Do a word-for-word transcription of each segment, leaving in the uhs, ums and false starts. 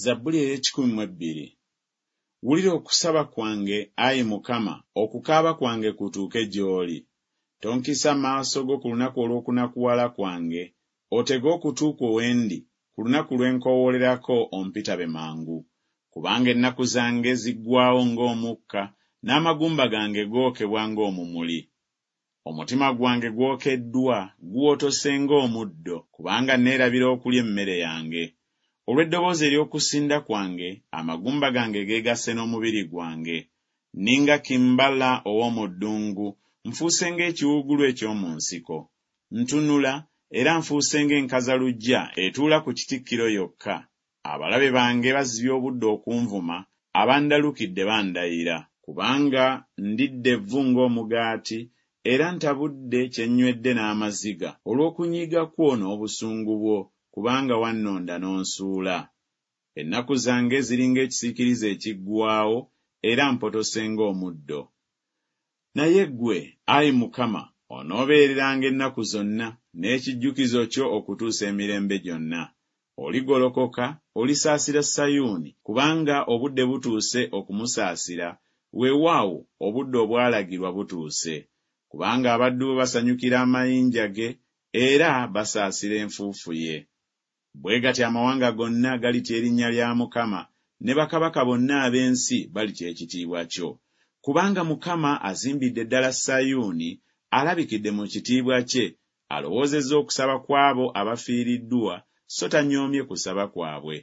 Zabbuli ey'ekikumi mu ebbiri. Wulira okusaba kwange, ayi Mukama, okukaaba kwange kutuuke gy'oli. Tonkisa maaso go ku lunaku olw'okunakuwala kwange, otege okutu kwo we ndi, ku lunaku lwe nkoowoolerako ompitabe mangu. Kubanga ennaku zange ziggwaawo ng'omukka, n'amagumba gange gookebwa ng'omumuli. Omutima gwange gwokeddwa, guwotose ng'omuddo, kubanga neerabira okulya emmere yange. Olw'eddoboozi ery'okusinda kwange, amagumba gange geegasse n'omubiri gwange. Nninga kimbala ow'omu ddungu, nfuuse ng'ekiwuugulu eky'omu nsiko. Ntunula, era nfuuse ng'enkazaluggya etuula ku kitikkiro yokka. Abalabe bange bazibye obudde okunvuma, abandalukidde bandayira. Kubanga ndidde evvu ng'omugaati, era ntabudde kye nnywedde n'amaziga, olw'okunyiiga kwo n'obusungu bwo, kubanga wannonda n'onsuula. Ennaku zange ziri ng'ekisiikirize ekiggwaawo, era mpotose ng'omuddo. Naye ggwe, ayi Mukama, onoobeereranga ennaku zonna, n'ekijjukizo kyo okutuusa emirembe gyonna. Oligolokoka, olisaasira Sayuuni, kubanga obudde butuuse okumusaasira, weewaawo obudde obwalagirwa butuuse. Kubanga abaddu bo basanyukira amayinja ge, era basaasira enfuufu ye. Bwe gatyo amawanga gonna galitya erinnya lya Mukama, ne bakabaka bonna ab'ensi balitya ekitiibwa kyo. Kubanga Mukama azimbidde ddala Sayuuni, alabikidde mu kitiibwa kye, alowoozezza okusaba kw'abo abafiiriddwa, so tanyoomye kusaba kwabwe.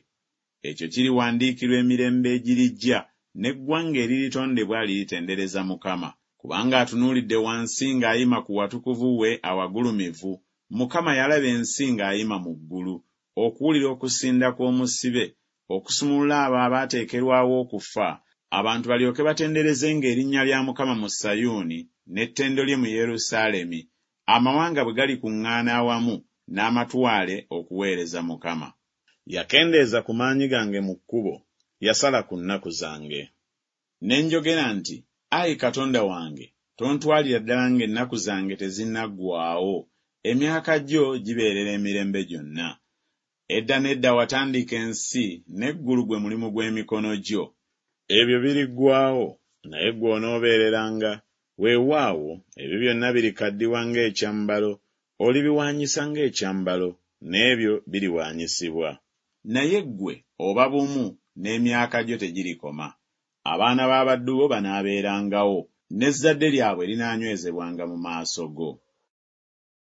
Ekyo kiriwandiikirwa emirembe egirijja, n'eggwanga eriritondebwa liritendereza Mukama. Kubanga atunuulidde wansi ng'ayima ku watukuvu we awagulumivu, Mukama yalaba ensi ng'ayima mu ggulu, okuwulira okusinda kw'omusibe, okusumulula abo abaateekerwawo okufa, abantu balyoke batenderezenga erinnya lya Mukama mu Sayuuni, n'ettendo lye mu Yerusaalemi, amawanga bwe galikuŋŋaana awamu n'amatwale okuweereza Mukama. Yakendeeza ku maanyi gange mu kkubo, yasala ku nnaku zange. Ne njogera nti Ayi Katonda wange, tontwalira ddala ng'ennaku zange tezinnaggwaawo, emyaka gyo gibeerera emirembe gyonna. Edda n'edda watandika ensi, n'eggulu gwe mulimu gw'emikono gyo. Ebyo biriggwaawo, naye ggwe onoobeereranga, weewaawo, ebyo byonna birikaddiwa ng'ekyambalo, olibiwaanyisa ng'ekyambalo, n'ebyo biriwaanyisibwa. Naye ggwe oba bumu, n'emyaka gyo tegirikoma. Abaana b'abaddu bo banaabeerangawo, n'ezzadde lyabwe linaanywezebwanga mu maaso go.